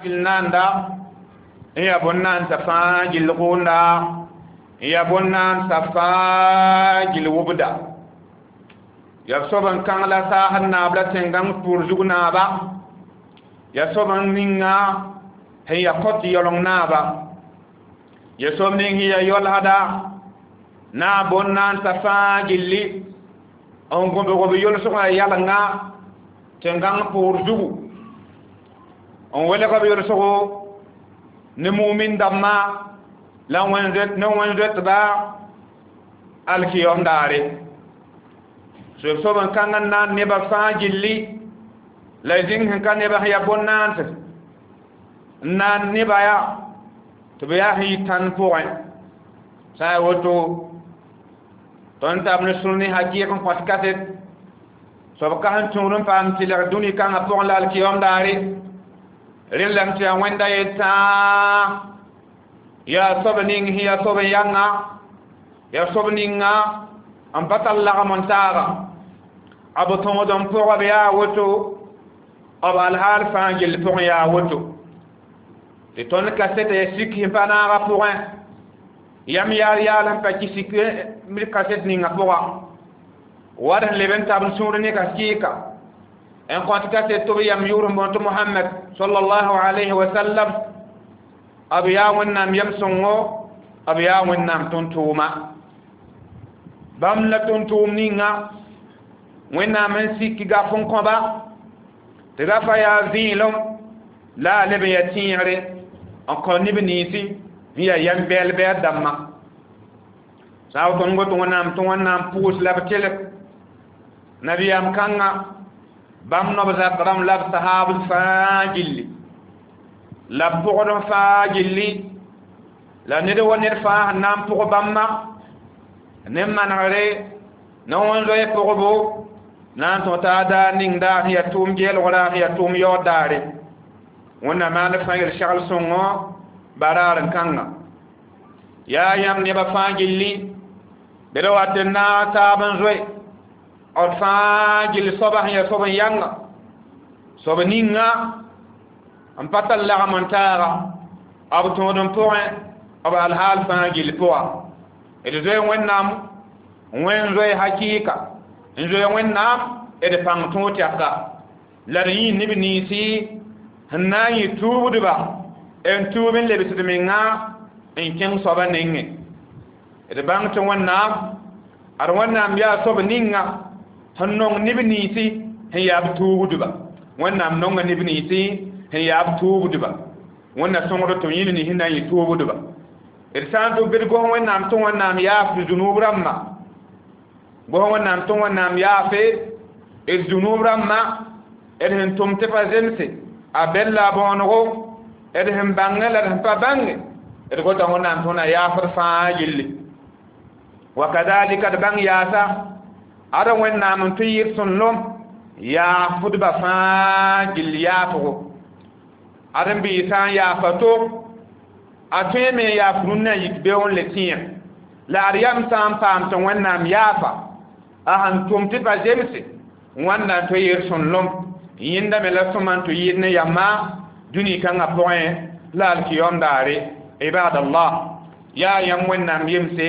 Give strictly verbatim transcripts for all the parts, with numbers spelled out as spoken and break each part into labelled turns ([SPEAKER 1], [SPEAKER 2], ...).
[SPEAKER 1] Gill naanda n yaa bõn-naandsã fãa gill gʋʋnda, n yaa bõn-naandsã fãa gill wʋbda. Yaa soab n kãng la saasd naab la tẽn-gãng pʋʋr zug naaba, yaa soab n ninga sẽn yaa kõt yaooleng naaba, yaa soab ning sẽn yaa yaoolsda naab bõn-naandsã fãa gilli n gõbg b yolsgã yalenga tẽn-gãng pʋʋr zugu, n welg b yolsgo ne mumin dãmbã la ne wẽn-zoetba alkiyom daare. So soab n kãng n naan nebã fãa gilli la zĩng sẽn ka nebã sẽn yaa bõn-naands n naan nebã yaa tɩ b yaa sẽn yɩ tãnd pʋgẽ. Sã n yaa woto, tõnd tab ne sũur ne hakɩɩk n kõt kaset soab ka sẽn tũud n paam tɩlg dũni kãngã pʋgẽ la alkiyom daare. Rẽ lame tɩ yaa Wẽnda yetã, yaa soab ning sẽn yaa soab n yãnga, yaa soab ninga n pa tar lagem n taaga a b tõod n pʋgb yaa woto, b alhaal fãa gill pʋgẽ yaa woto. Tɩ tõnd kasɛta ya sik sẽn pa naagã pʋgẽ, yam yaal yaal sẽn pa kɩ sik kaset ninga pʋga wat sẽn leb n tab n sũur ne ka kɩɩka n kõt kaset tɩ b yam yʋʋr n boond tɩ Mohamɛd sallallahu alayhi wa sallam. B yaa Wẽnnaam yam sõngo, b yaa Wẽnnaam tʋm-tʋʋma. Bãmb la tʋm-tʋʋm ninga Wẽnnaam n sik gaf n kõba tɩ gafa yaa vẽelem la a leb n yaa tẽegre n kõ neb ninsi n yaa yam bɛɛl-bɛɛl dãmbã. Sã n tõnd got Wẽnnaam tɩ Wẽnnaam pʋʋs la b telg nabiyaam kãnga, bãmb nob zak rãmb la b sahaabd fãa gilli, la b pʋgd fãa gilli, la ned wa ned fãa sẽn na n pʋg bãmba ne manegre ne wẽn-zoe pʋgbo na n tõt t'a daar ning daar sẽn yaa tʋʋm geelgra, sẽn yaa tʋʋm yaood daare. Wẽnnaam maan fãa yel segl sõngo baraar n kãnga. Yaa yãmb nebã fãa gilli, bɩ d wat n naag taab n zoe d fãa gill soaba sẽn yaa soab n yãnga, soab ninga n pa tar lagem n taaga b tõod n pʋgẽ, b alhaal fãa gill pʋga. D zoe Wẽnnaam wẽn zoe hakɩɩka n zoe Wẽnnaam d pãng tõog tɛka la d yĩi neb ninsi sẽn na n yɩ tuubdba n tuub n lebsd menga n kẽng soabã nengẽ. D bãng tɩ Wẽnnaam ad Wẽnnaam yaa soab ninga sẽn nong neb ninsi sẽn yaa b tuubdba. Wẽnnaam nonga neb ninsi sẽn yaa b tuubdba. Wẽnna sõngd tɩ yĩn nins na n yɩ tuubdba. D sã n tʋ bɩ d gos Wẽnnaam tɩ Wẽnnaam yaaf d zunub rãmbã, gos Wẽnnaam tɩ Wẽnnaam yaafe d zunub rãmbã, d sẽn tʋm tɩ pa zemse a bɛl la a bõonego, d sẽn bãngẽ la d sẽn pa bãnge, d gota Wẽnnaam tɩ Wẽnna yaafd fãa gilli. Wa kadalika d bãng yaasa ada Wẽnnaam n tʋ yɩɩd sõnlem yaafdba fãa gill yaafgo. Ad n bɩ sã n yaafa to a tõe me n yaaf rũnnã yik beoon le tẽeg la ad yam sã n paam tɩ Wẽnnaam yaafa a sẽn tʋm tɩ pa zemse wãnda n tʋ yɩɩd sõnlem. Yẽnda me la sõma n tʋ yɩɩd ne yamma dũni kãngã pʋgẽ la alkiyom daare. Ibadallah, yaa yãmb Wẽnnaam yemse,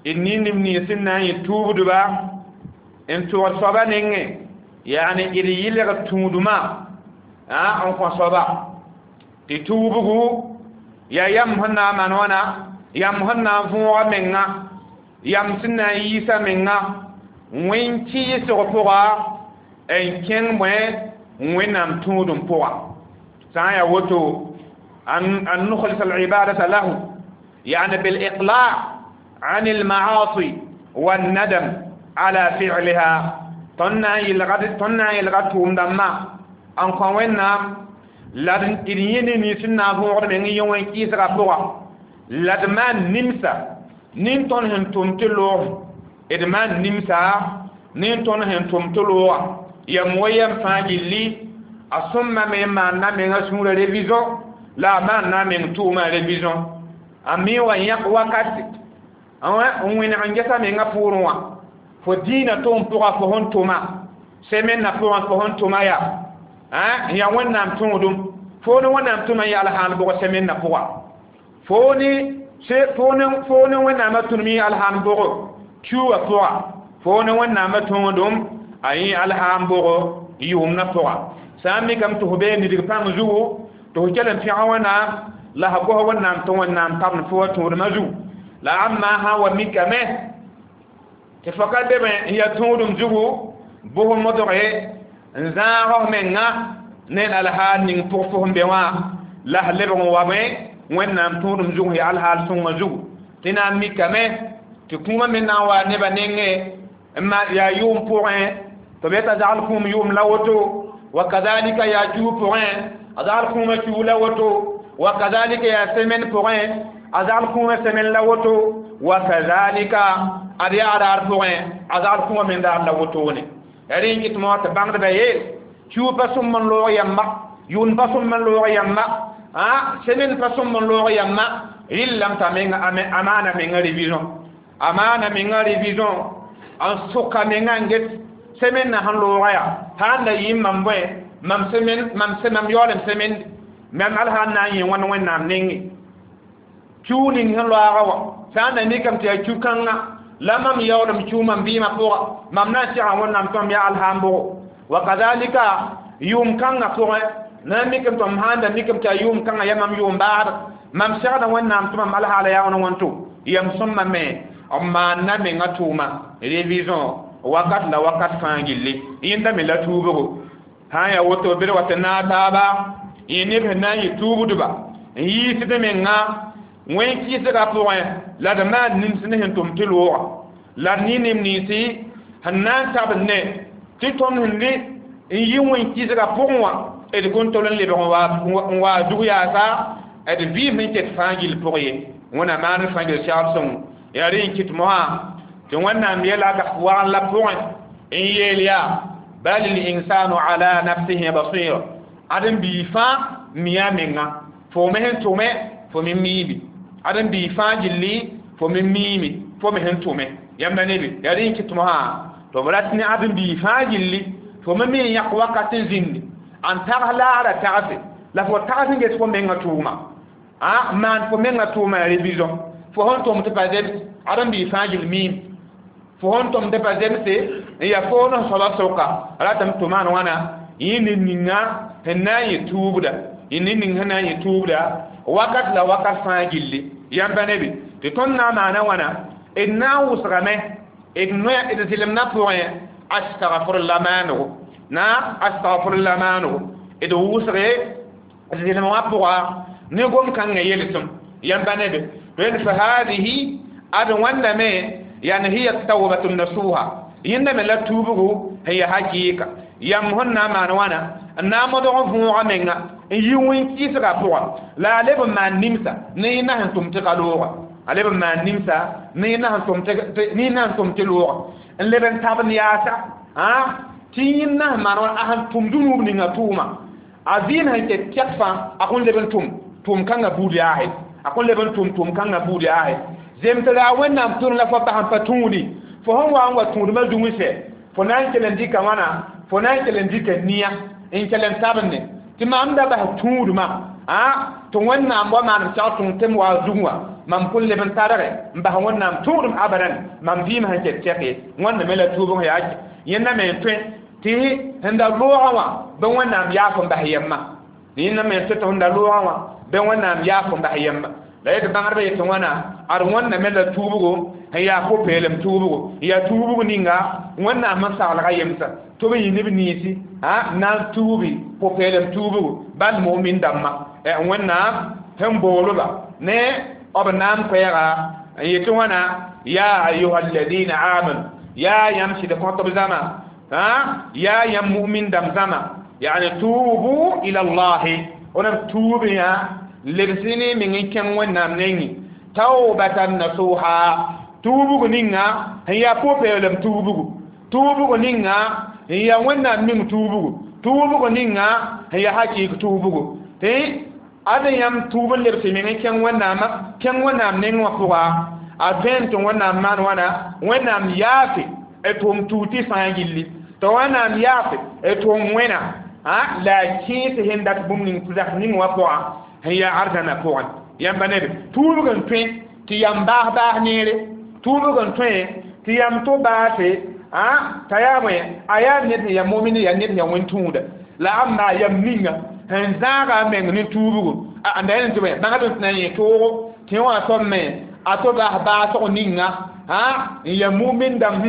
[SPEAKER 1] d nin neb nins sẽn na n yɩ tuubdba n tʋgd soaba nengẽ, yaani d yɩlg tũudmã n kõ soaba tɩ tuubgu yaa yam sẽn na n maan wãna, yam sẽn na n võoga menga, yam sẽn na n yiisa menga wẽn-kɩɩsg pʋga n kẽng bõe Wẽnnaam tũudum pʋga. Sã n yaa woto, an nukhlis alibadata lahu, yani bil-iqla' عن المعاصي والندم على فعلها. tõnd na n yelga tʋʋm dãmbã n kõ Wẽnnaam la d yẽ ne nins sẽn na n võogd meng yẽ wẽn-kɩɩsgã pʋga, la d maan nimsa nin tõnd sẽn tʋm tɩ loog, d maan nimsa nin tõnd sẽn tʋm tɩ looga yam wa yam fãa gilli. A sõmma me n maanda menga sũurã révision la a maanda a meng tʋʋmã révision, a mi wa yãk wakate n wẽneg n gesa menga pʋʋrẽ wã fo dĩinã tʋʋm pʋga fo sẽn tʋma semaine pʋgẽ fo sẽn tʋma yaa n yaa Wẽnnaam tõodum Fo ne wẽnnaam tʋma yã alhaal bʋg semaine na pʋga fo ne fo ne fo ne wẽnnaamã tũnum yẽ alhaam bʋgo kiuugã pʋga fo ne wẽnnaamã tõodem a yẽ alhaam bʋgo yʋʋmdã pʋga sã n mikame tɩ f bee nidg pãng zugu tɩ f kell n pẽg wẽnnaam la f gos wẽnnaam tɩ wẽnnaam tabend fo wa tũudmã zugu la ãmba sã n wa mikame tɩ fo ka be n ya tũudum zugu bʋs modge n zãag f menga ne alhaal ning pʋg fo sẽn be wã la f lebg n wa me wẽnnaam tũudum zugu ya alhaal sõngã zugu tɩ na n mikame tɩ kũumã me na n wa nebã nengẽ n ma yaa yʋʋm pʋgẽ tɩ b yeta zagl kũum yʋʋm la woto wa kazalika yaa kiu pʋgẽ a zagl kũumã kiu la woto wa kazalika yaa semaine pʋgẽ a zagl kũumã semaine la woto wa kazalika ad yaa raar pʋgẽ a zagl kũumã me daar la wotone ya rẽ n kɩt mo tɩ bãngdbã yeel kiu pa sõm n loog yamba yʋʋn pa sõm n loog yamba a semaine pa sõm n loog yamba rɩllame t'a menga a maana menga révision a maana menga révision n sʋka menga n get semaine na sẽn looga yaa sãn da yɩ mam bõe mam semaine mam mam yaoolem semaine mam alsã n na n yẽ wãn wẽnnaam nengẽ kiu ning sẽn loaga wã sã n da mikame tɩ yaa kiu-kãngã la mam yaoolem kiu mam vɩɩmã pʋga mam na n segã wẽnnaam tɩ mam yaa alhaam bʋgo wa kazalika yʋʋm kãngã pʋgẽ na n mikame tɩ mam sãn da mikame tɩ yaa yʋʋm kãngã yaa mam yʋʋm baasd mam segda wẽnnaam tɩ mam alhaala yaa wãn wãnto yam sõmma me n maanda menga tʋʋma révision wakat la wakat fãa gilli yẽnda me la tuubgo sã n yaa woto bd wa tɩ naag taaba yẽ neb sẽn na n yɩ tuubdba n yiisd menga wẽn-kɩɩsgã pʋgẽ la d maan nims ne sẽn tʋm tɩ looga la d ne neb ninsi sẽn na n tabd ne tɩ tõnd sẽn rɩ n yɩ wẽn-kɩɩsgã pʋgẽ wã d kõn tol n lebg n wa zug yaasa d vɩɩm sẽn ket fãa gill pʋg ye wẽnnaam maan fãa gill segl sõngo yaa rẽ n kɩt mosã tɩ wẽnnaam yɛla wagn la pʋgẽ n yeel yaa bal linsanu ala nafsihi basira ad n bii fãa miya menga fo me sẽn tʋme fo me miime ad n bii fãa gilli fo me miime fo me sẽn tʋme yãmba nebe yaa rẽ n kɩt mosã tɩ b rat ne ad n bii fãa gilli fo me me n yãk wakat n zĩndi n tags laara tagse la fo tags n ges fo menga tʋʋma a maan fo menga tʋʋma ya révision fo sẽn tʋm tɩ pa zems ad n bii fãa gill miime fo sẽn tʋm tɩ pa zemse n yaa foon f soaba sʋka ratame tɩ maan wãna yẽ ned ninga sẽn na n yɩ tuubda yẽ ned ning sẽn na n yɩ tuubda wakat la wakat fãa gilli yãmba nebe tɩ tõnd na n maana wãna d na n wʋsgame d noya d zɩlemdã pʋgẽ astagfirla maanego na astagfirla maanego d wʋsge zɩlem wã pʋga ne gom-kãngã yelsem yãmba nebe tõe fa hadihi ad wãndame yani hiya tawbatu nasuha yẽnda me la tuubgo sẽn yaa hakɩɩka yãmb sẽn na n maan wãna n na n modg võoga menga n yi wẽn-kɩɩsgã pʋga la a leb n maan nimsa ne yẽnda sẽn tʋm tɩ ka looga a leb n maan nimsa ne yẽnda sẽn tʋm ne yẽnda sẽn tʋm tɩ looga n leb n tabend yaasa tɩ yẽnda sẽn maan wãna a sẽn tʋm dũnub ninga tʋʋma a vɩɩm sẽn ket kɛk fãa a kõn leb n tʋm tʋʋm kãngã buud yaase a kõn leb n tʋm tʋʋm kãngã buud yaase zem tɩ la wẽnnaam tʋrẽ la fo bas n pa tũudi fo sẽn wa n wa tũudmã zung sɛ fo na n kell n dɩka wãna fo na n kell n dɩka nia n kell n tabende tɩ mam da bas tũudmã a tɩ wẽnnaam wa maanem segd tõng tɩ m wa zug wã mam kõn leb n targe n bas wẽnnaam tũudem abadan mam vɩɩm sẽn ket tɛk ye wãnda me la tuubg yaa yẽnda me n tõe tɩ sẽn da loogã wã bɩ wẽnnaam yaaf n bas yɛmma yẽnda me n tõe tɩ sẽn da loogã wã bɩ wẽnnaam yaaf n bas yɛmma la yetɩ bãngdbã yetɩ wãna ad wãnda me la tuubgo sẽn yaa pʋ-peelem tuubgo n yaa tuubg ninga wẽnnaam sẽn saglga yemsa tɩ b yɩ neb ninsi n na n tuubi pʋ-peelem tuubgo bal mumin dãmbã wẽnnaam sẽn boolba ne b na n koɛɛga n yetɩ wãna ya ayuha alladina amanu yaa yãmb sɩd kõtb zãma yaa yãmb mumin dãmb zãma yani tuubu ila llahi wẽnnaam tuub yã lebs ne meng n kẽng wẽnnaam nengẽ taubatan nasuha tuubg ninga sẽn yaa pʋ-peelem tuubgo tuubg ninga sẽn yaa wẽnnaam meng tuubgo tuubg ninga sẽn yaa hakɩɩk tuubgo tɩ ad yãmb tuub n lebs meng n kẽng wẽnnaamã kẽng wẽnnaam neng wã pʋga a tõe tɩ wẽnnaam maan wãna wẽnnaam yaafe d tʋʋm tuug tɩ fãa gilli tɩ wẽnnaam yaafe d tʋʋm wẽna ha la kẽes sẽn dat bũmb ning zak ning wã pʋgã sẽn yaa arzãna pʋgẽ yãmba neb tuubg n tõe tɩ yam baas baas neere tuubg n tõe tɩ yam to baase a t'a yaa bõe a yaa ned sẽn yaa momin yaa ned sẽn yaa wẽn-tũuda la amba yam ninga sẽn zãaga a meng ne tuubgo a da yẽl tɩ bõe bãngd tɩ na n yẽ toogo tɩ wã soab me a to baas baasg ninga a n yaa mumin dãmb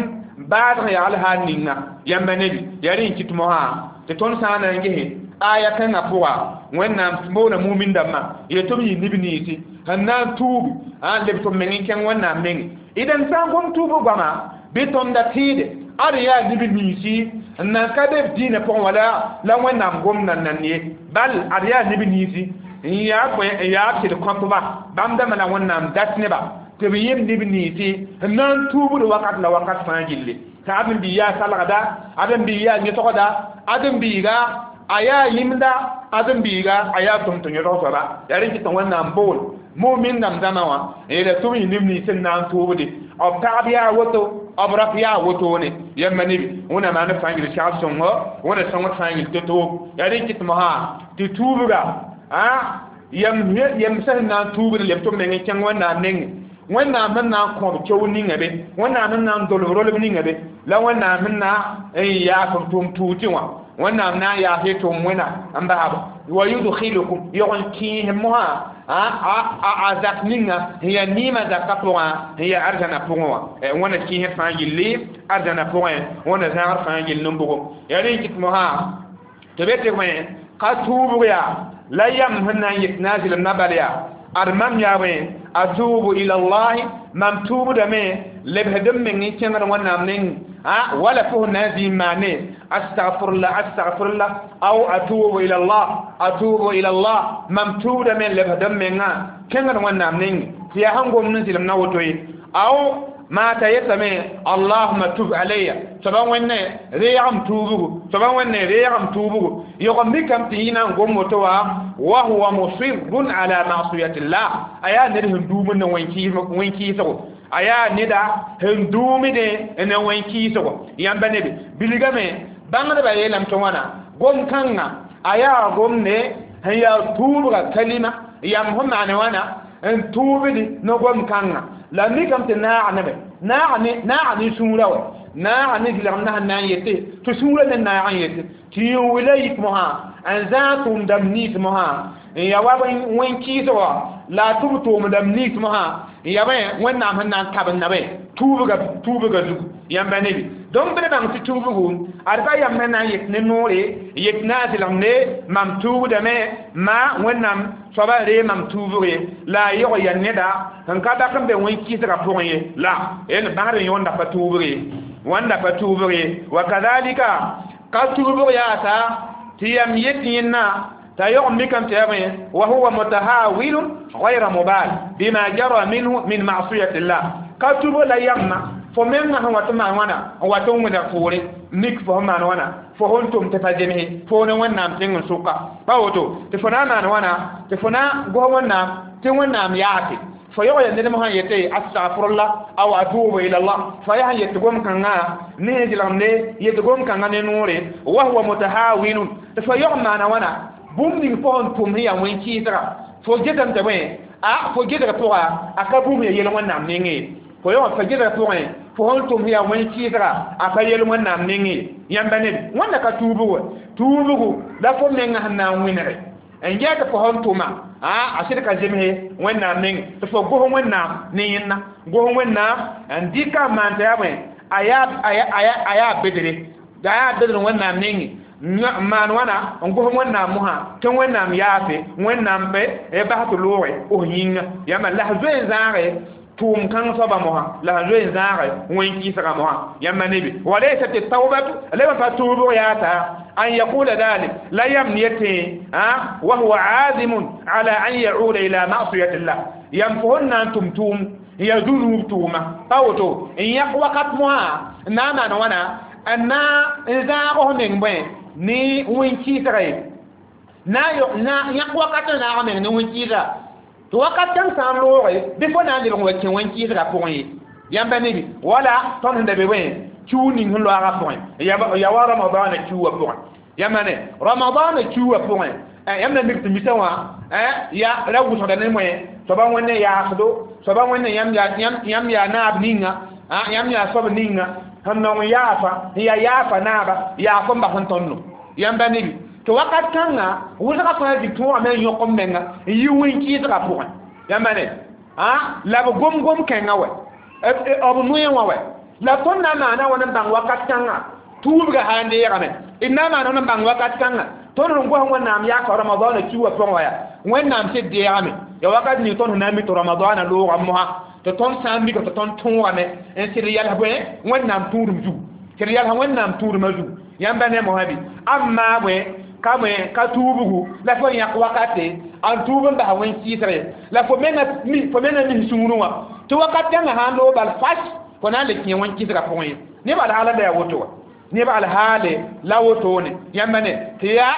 [SPEAKER 1] baasg yagl sã ninga yãmba nebi yaa rẽ n kɩt mosã tɩ tõnd sã n na n gese aya kãngã pʋga wẽnnaam boona mumin dãmbã yetɩ b yɩ neb ninsi sẽn na n tuubi a leb tɩ b meng n kẽng wẽnnaam menge d n sã n gom tuubg goama bɩ tõnda tẽede ad yaa neb ninsi n nan ka be b dĩinã pʋgẽ wala la wẽnnaam gomdã n nan ye bal ad yaa neb ninsi n yaa bõe n yaa b sɩd kõtba bãmb dãmbã la wẽnnaam dat nebã tɩ b yem neb ninsi n na n tuubd wakat la wakat fãa gilli t'a ad n bii yaa salgda ad n bii yaa yẽsgda ad n biiga a yaa yĩmda ad n biiga a yaa tʋm tɩ yõsg soaba yaa rẽ kɩt tɩ wẽnnaam bool mumin dãmb zãma wã n yeela tɩ b yĩ neb nins n na n tuubde b pagb yaa woto b rap yaa wotone yãmba nebi wẽnnaam maan fãa gil segd sõngo wẽnna sõngd fãa gil to-to yaa rẽ kɩt mosã tɩ tuubga a yam yam sẽn na n tuubd leb tɩ b meng n kẽng wẽnnaam nengẽ wẽnnaam sẽn na n kõb keo ninga be wẽnnaam sẽn na n dolb rolb ninga be la wẽnnaam sẽn na n yaas b tʋʋm tuutɩ wã wẽnnaam na n yaas y tʋʋm wẽna n basb wa yudkhilukum yog n kẽes mosã a zak ninga sẽn yaa niimã zakã pʋgã sẽn yaa arzãna pʋgẽ wã wẽna kẽesd fãa gilli arzãna pʋgẽ wẽna zãgd fãa gill n-bʋgo yaa rẽ n kɩt mosã tɩ be tɩ bõe ka tuubg yaa la yam sẽn na n yet na n zɩlem na bal yaa ad mam yaa bõe atubu ila llahi mam tuubdame lebsd m meng n kẽngd wẽnnaam neng a wala fo na n zĩig maane astagfirullah astagfirullah aw atubu ila llah atubu ila llah mam tuubdame lebsd m mengã kẽngd wẽnnaam neng tɩ yaa sẽn gomd n zɩlem na woto ye aw ma ta yetame allahuma tub alayya soaba wẽnne reegem tuubgu soaba wẽnne reegem tuubgu yog n mikame tɩ yĩ na n gom woto wã wa huwa musirrun ala masiyati llah a yaa ned sẽn duumd ne wẽn-kɩɩsgo a yaa neda sẽn duumdẽ ne wẽn-kɩɩsgo yãmba nebe bilgame bãngdbã yeelame tɩ wãna gom kãngã a yaa gomde sẽn yaa tuubga kalima yam sẽn maan wãna n tuubd ne gom kãngã la mikame tɩ naag neme naag ne naag ne sũurã wa naag ne zɩlgem na sẽn na n yete tɩ sũurã ne naag n yete tɩ yẽ wila yik mosã n zãag tʋʋmdãmb nins mosã n ya wa wẽn-kɩɩsgã la a tʋb tʋʋmdãmb nins mosã n ya bõe wẽnnaam sẽn na n kabenda bõe tuubga tuubga zugu yãmba nebi donc bɩ bãng tɩ tuubgu ad pa yam sẽn na n yet ne noore yet na n zɩlg ne mam tuubdame ma wẽnnaam soaba ree mam tuubg ye la a yog ya neda sẽn ka bak n be wẽn-kɩɩsgã pʋgẽ ye la n bãngd n yõnda pa tuubg ye wãnda pa tuubg ye wa kazalika ka tuubg yaasa tɩ yam yet yẽnna t'a yog n mikame tɩ yaa bõe wa huwa mutahawilun غayra mubal bima jara minhu min masiyati llah ka tuubg la yamma fo menga sẽn wat n maan wãna n wat n wẽneg poore mik fo sẽn maan wãna fo sẽn tʋm tɩ pa zemse fo ne wẽnnaam tẽng n sʋka pa woto tɩ fo na n maan wãna tɩ fo na gos wẽnnaam tɩ wẽnnaam yaase fo yog ya ned mosã yete astagfirullah aw atubu ila llah fa yaa sẽn yet gom kãngã ne sẽn zɩlgemde yet gom kãngã ne noore wa huwa mutahawinun tɩ fo yog n maana wãna bũmb ning fo sẽn tʋm sẽn yaa wẽn-kɩɩsga fo getame tɩ bõe a fo gesga pʋga a ka bũmb ya yel wẽnnaam nengẽ fo yog fa gesga pʋgẽ fo sẽn tʋm sẽn yaa wẽn-kɩɩsga a pa yel wẽnnaam nengẽ yãmba neb wẽnna ka tuubgo tuubgo la fo menga sẽn na n wẽnege n yaa tɩ fo sẽn tʋma a sɩd ka zemse wẽnnaam nengẽ tɩ fo gos wẽnnaam ne yẽnna gos wẽnnaam n dɩka n maan tɩ yaa bõe a yaa bedre a yaa bedr wẽnnaam nengẽ n maan wãna n gos wẽnnaam mosã tɩ wẽnnaam yaase wẽnnaam be bas tɩ looge f yĩnga yãmba la s zoe n zãage tʋʋm kãng soaba mosã la sẽn zoe n zãage wẽn-kɩɩsgã mosã yãmba nebi walaysat tawbatu la pa tuubg yaata an yaqula dhalik la yam yete wa huwa azimun ala an yauda ila masiyati llah yam fo sẽn na n tʋm tʋʋm n yaa zũnuub tʋʋma pa woto n yãk wakat mosã n na n maan wãna n na n zãag f meng bõe ne wẽn-kɩɩsga ye na yãk wakat n naag meng ne wẽn-kɩɩsga tɩ wakat kãng sã n looge bɩ fo na n lebg n wa kẽ wẽn-kɩɩsgã pʋgẽ ye yãmba nebi wala tõnd sẽn da be bõe kiu ning sẽn loaagã pʋgẽ ya wa ramadaana kiuwã pʋgẽ Yãmb ne Ramadan kiuugã pʋgẽ, yãmb na mik tɩ misa wã ya ra wʋsgda ne moẽ soaba wẽnd yaasdo, soaba wẽnd yãmb yaa naab ninga, yãmb yaa soab ninga sẽn nong yaafa n yaa yaafa naaba yaaf n bas n tõndo. Yãmba nebi tɩ wakat kãnga wʋsga fãa zig tõogame n yõk m menga n yi wẽn-kɩɩsgã pʋgẽ. Yãmba ne la b gom-gom kẽngã wɛ b noe wã wɛ la tõnd na n maana wãn n bãng wakat kãnga tuubga sã n deegame, d na n maana wãn n bãng wakat kãnga tõnd sẽn gos Wẽnnaam yaaka Ramadaana kiuugã pʋgẽ wa yaa Wẽnnaam sɩd deegame. Ya wakat ning tõnd sẽn na n mi tɩ Ramadaana loogã mosã tɩ tõnd sã n mika tɩ tõnd tõogame n sɩd yals bõe Wẽnnaam tũudum zugu, sɩd yalsa Wẽnnaam tũudumã zugu. Yãmba ne mosã bɩ amma bõe ka bõe ka tuubgu la fo yãk wakate n tuub n basa wẽn-kɩɩsg la fo menga fo menga mis sũurẽ wã tɩ wakat kãngã sã n loog bal fas fo na n le kẽ wẽn-kɩɩsgã pʋgẽ ye. Neb alhaala la yaa woto wa, neb alhaale la wotone. Yãmba ne tɩ yaa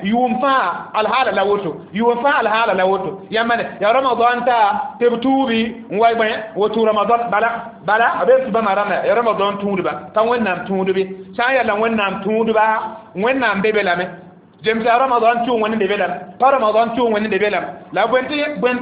[SPEAKER 1] yʋʋm fãa alhaala la woto, yʋʋm fãa alhaala la woto. Yãmba ne yaa Ramadan ta tɩ b tuubi n wa bõe woto Ramadan bala bala b tɩ bãmba rãmba ya Ramadan tũudba ka Wẽnnaam tũudbe sã n yaa la Wẽnnaam tũudba Wẽnnaam be be lame zemsa Ramadan tʋʋg wẽnd be be lame pa Ramadan tʋʋg wẽnd be be lame la bõe tɩ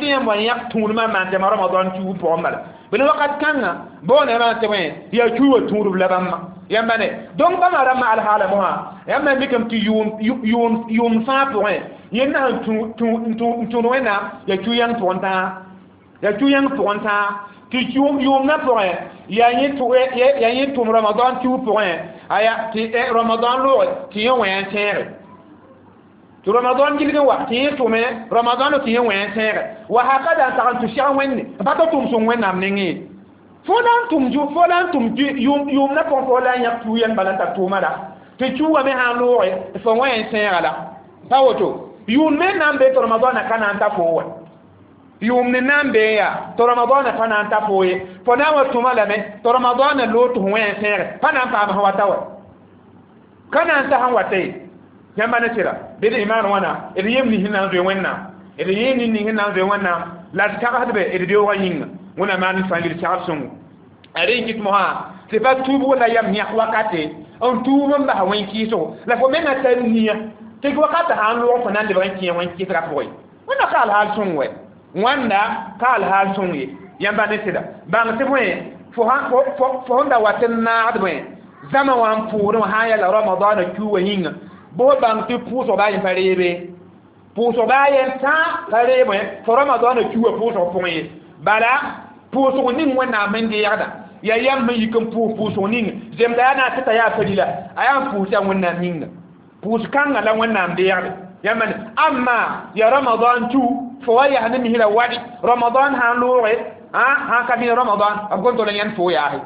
[SPEAKER 1] yãmb wa yãk tũudmã maan tɩ Ramadan tũud pʋgẽ bala bɩ wakat kãngã boone maan tɩ bõe yaa kiuugã tũudb la bãmba. Yãmba ne donc bãmba rãmbã alhaala mosã yãmb na mikame tɩ yʋʋm fãa pʋgẽ yẽnd na sẽn tũud Wẽnnaam yaa kiu-yãng pʋgẽ tãa, yaa kiu-yãng pʋgẽ tãa tɩ yʋʋmdã pʋgẽ yaa yẽ tʋm Ramadan kiu pʋgẽ aya tɩ Ramadan looge tɩ yẽ wẽ n tẽege tɩ Ramadan gilg n wa tɩ yẽ tʋme Ramadan tɩ yẽ wẽ n tẽege wa hakada n tag n tʋ sɛg wẽnde n pa tɩ tʋm sõng Wẽnnaam nengẽ fo la n tʋm fo la n tʋm yʋʋmdã pʋgẽ fo la n yãk kiu-yãng bala n tar tʋʋma la tɩ kiuugã me sã n looge fo wẽ n tẽega la pa woto yʋʋm me na n be tɩ Ramadana ka na n ta fo wa yʋʋm ne na n bee yaa tɩ Ramadana pa na n ta fo ye fo na n wa tʋma lame tɩ Ramadana loog tɩ fo wẽ n tẽege pa na n paam sẽn wata wa ka na n ta sẽn wata ye. Yãmba ne sɩda bɩ d imaan wãna d yem ning sẽn na n zoe Wẽnnaam, d yem ning sẽn na n zoe Wẽnnaam la d tagsdbe d beoogã yĩnga. Wẽnnaam maan fãa gil segd sõngo a rẽ n kɩt mosã tɩ pa tuubg la yam yãk wakate n tuub n basa wẽn-kɩɩsgo la fo menga tar nia tɩ wakat sã n loog fo na n lebg n kẽ wẽn-kɩɩsgã pʋgẽ. Wẽnna ka alhaal sõng wɛ, wãnda ka alhaal sõng ye. Yãmba ne sɩda bãng tɩ bõe fo sẽn da wat n naagd bõe zãma wã n pʋʋdẽ wã sã n yaa la Ramadaana kiuugã yĩnga bʋ bãng tɩ pʋʋsg baa yen pa reebe pʋʋsg baa yen tã pa reeb fo Ramadaana kiuugã pʋʋsg pʋgẽ ye bala pʋʋsg ning Wẽnnaam sẽn deegda yaa yãmb sẽn yik n pʋʋs pʋʋsg ning zemda yaa na n tɩ t'a yaa farila a yaa n pʋʋs yaa Wẽnnaam yĩnga pʋʋs kãngã la Wẽnnaam deegde. Yãmba ne amma ya Ramadan tu fo wa yaa ne misra wadi Ramadan sã n looge sã ka vɩ Ramadan b gom tol n yãnd fo yaase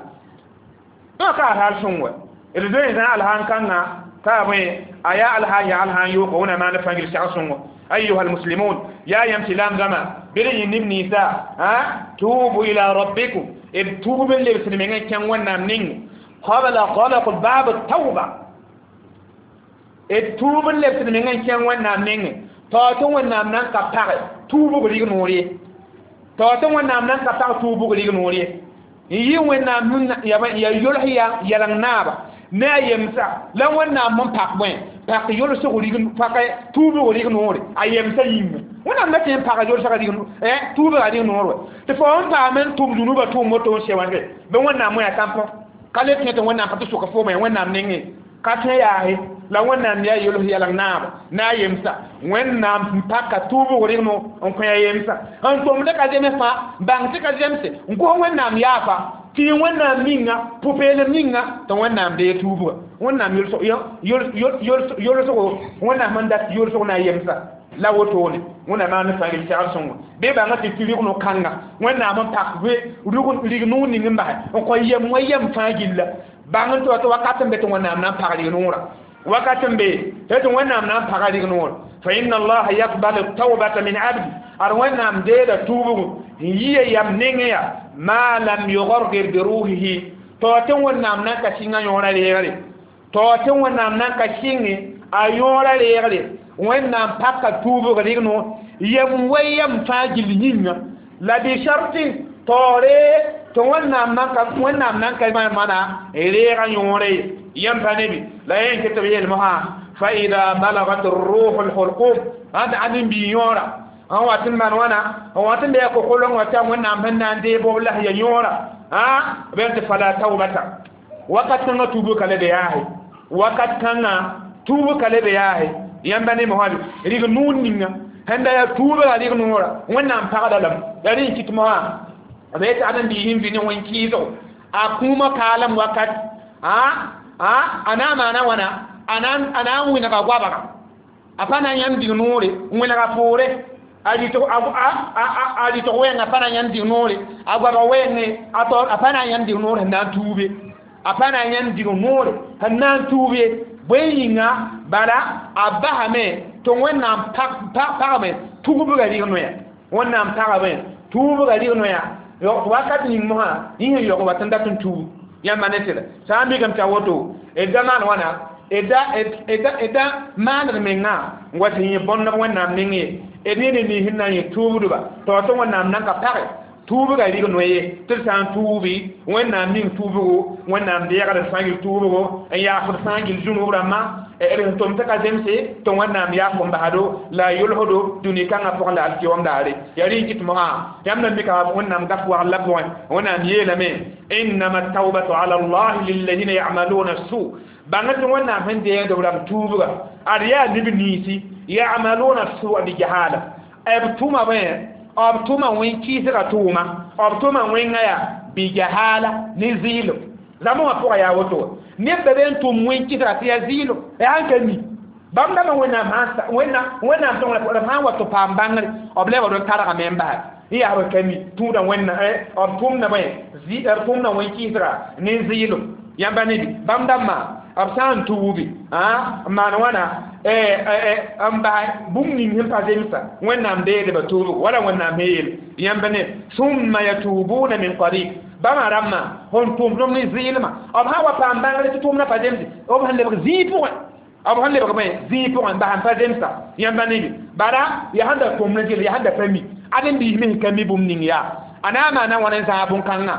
[SPEAKER 1] ka alhaal sõng wɛ d zoe zã alhaan kãngã ka bõe a yaa alhaan yaa alhaan yooko Wẽnnaam maan fãa gil segd sõngo. أيها المسلمون يا يمشي لام زما بري نبني سا ها توبوا إلى ربكم توبوا اللي بسلمين كان ونام نين قبل غلق باب التوبة توبوا اللي بسلمين كان ونام نين تاتو ونام نان كبار توبوا غريق نوري تاتو ونام نان كبار توبوا غريق نوري يي ونام يا يا يلحيا يلان نابا ne a yemsa la Wẽnnaam n pak bõe pak yolsg rig pak tuubg rig noore a yemsa yĩnga Wẽnnaam la tɩ n paka yolsga rig tuubga rig noor wɛ tɩ fo n paam n tʋm zũnubã tʋʋm woto n se wãnge bɩ Wẽnnaam wẽ a tãmpõ ka le tẽ tɩ Wẽnnaam pa tɩ sʋka foome Wẽnnaam nengẽ ka tẽ yaase la Wẽnnaam yaa yols yɛlg naaba na a yemsa Wẽnnaam n paka tuubg rig no n kõ a yemsa n tʋmd ka zems fãa bãng tɩ ka zemse n gos Wẽnnaam yaafa tɩ Wẽnnaam ninga pʋ-peelem ninga tɩ Wẽnnaam dee tuubga Wẽnnaam yolsgo Wẽnnaam sẽn dat yolsg na a yemsa la wotone Wẽnnaam maan fãa gil segd sõngo bɩ bãnga tɩ tɩ rɩg no-kãnga Wẽnnaam n pak rig noor ning n basɛ n kõ yem wã yem fãa gilla bãng n tɩ wa tɩ wakat n be tɩ Wẽnnaam na n pag rig noorã wakat n be tɩ Wẽnnaam na n paga rig noor fa inna allaha yaqbalu tawbata min abdi ad Wẽnnaam deeda tuubgo n yia yam nengẽ ya ma lam yugargir bi ruhihi to tɩ Wẽnnaam nan ka sɩngã yõora reegre to tɩ Wẽnnaam nan ka sɩnge a yõora reegre Wẽnnaam paka tuubg rig no yem wa yem fãa gill yĩnga la bi sharti taoore tɩ Wẽnnaam nan ka Wẽnnaam nan ka mana reega yõore ye yãmb pa nebi la yẽ n ket tɩ b yeel mosã فإذا بلغت الروح الحلقوم هذا عدم بيورا هو تمان وانا هو تم بيكو خلون وتام وانا من عندي بوله يورا ها بنت فلا توبة وقت كان توبك لدياه وقت كان توبك لدياه ينبني مهابي ريغ نون نينا هندا يا توبة ريغ نورا وانا امبارا لم يعني كتما بيت عدم بيهم في نوين كيزو أكوما كالم وقت ها ها أنا ما أنا وانا أنا أنا وين كوابا أفانا يندي نوري وين كفوري alito alito wenga apana yandi nore agwaba wenge ato apana yandi nore na tube apana yandi nore na tube bweyinga bala abahame to wonna pak pak me tubu ga ri noya wonna pak me tubu ga ri noya yo wakati ni moha ni yo ko batanda tun tubu yamba netela sambi kam ta woto e zaman wana eda eda eda man menga ngwati ni bonna wonna mengi e ne ni hinna ye tuububa to to wonnam nan ka pare tuubu ga rig noye tɩ sã n tuubi wẽnnaam ning tuubgo wẽnnaam deegd sã n gil tuubgo n yaafd sã n gil zũnub rãmbã d tʋm tɩ ka zemse tɩ wẽnnaam yaaf n basdo la a yʋlsdo dũni kãngã pʋgẽ la alkiyom daare yaa rẽ kɩt mosã yãmb na mika wẽnnaam gaf wagl la pʋgẽ wẽnnaam yeelame innama tawbatu ala allahi lilladina yamaluna su bãng tɩ wẽnnaam sẽn deegd b rãmb tuubga ad yaa neb niisi yamaluna sua bi jahala b tʋma bẽ b tʋma wẽn-kɩɩsga tʋʋma b tʋma wẽnga yaa bi jahala ne zɩɩlem zãmb wã pʋga yaa woto neb ba be n tʋm wẽn-kɩsga tɩ yaa zɩɩlem yaa sãn ka mi bãmb dãmbã wẽnnaam wẽnnaam tõng b sã n wa tɩ paam bãngre b lebd n targame n basa yaa b ka mi tũuda wẽnna b tʋmda bẽ b tʋmda wẽn-kɩɩsga ne zɩɩlem yãmba ne bãmb dãmbã b sã n tuubi n maan wãna n bas bũmb ning sẽn pa zemsa wẽnnaam deedba tuubgo wala wẽnnaam sẽn yeel yãmba ne summa yatubuna min qarib bãmba rãmbã sẽn tʋmdem ne zɩɩlmã b sã n wa paam bãngre tɩ tʋʋmdã pa zemse b sẽn lebg zĩig pʋgẽ b sẽn lebg bẽ zĩig pʋgẽ n bas n pa zemsa yãmba ne bala yaa sẽn da tʋmd n gel yaa sẽn da pa mi ad n biis me ka mi bũmb ning yaa a na n maana wãn n zãag bõn-kãngã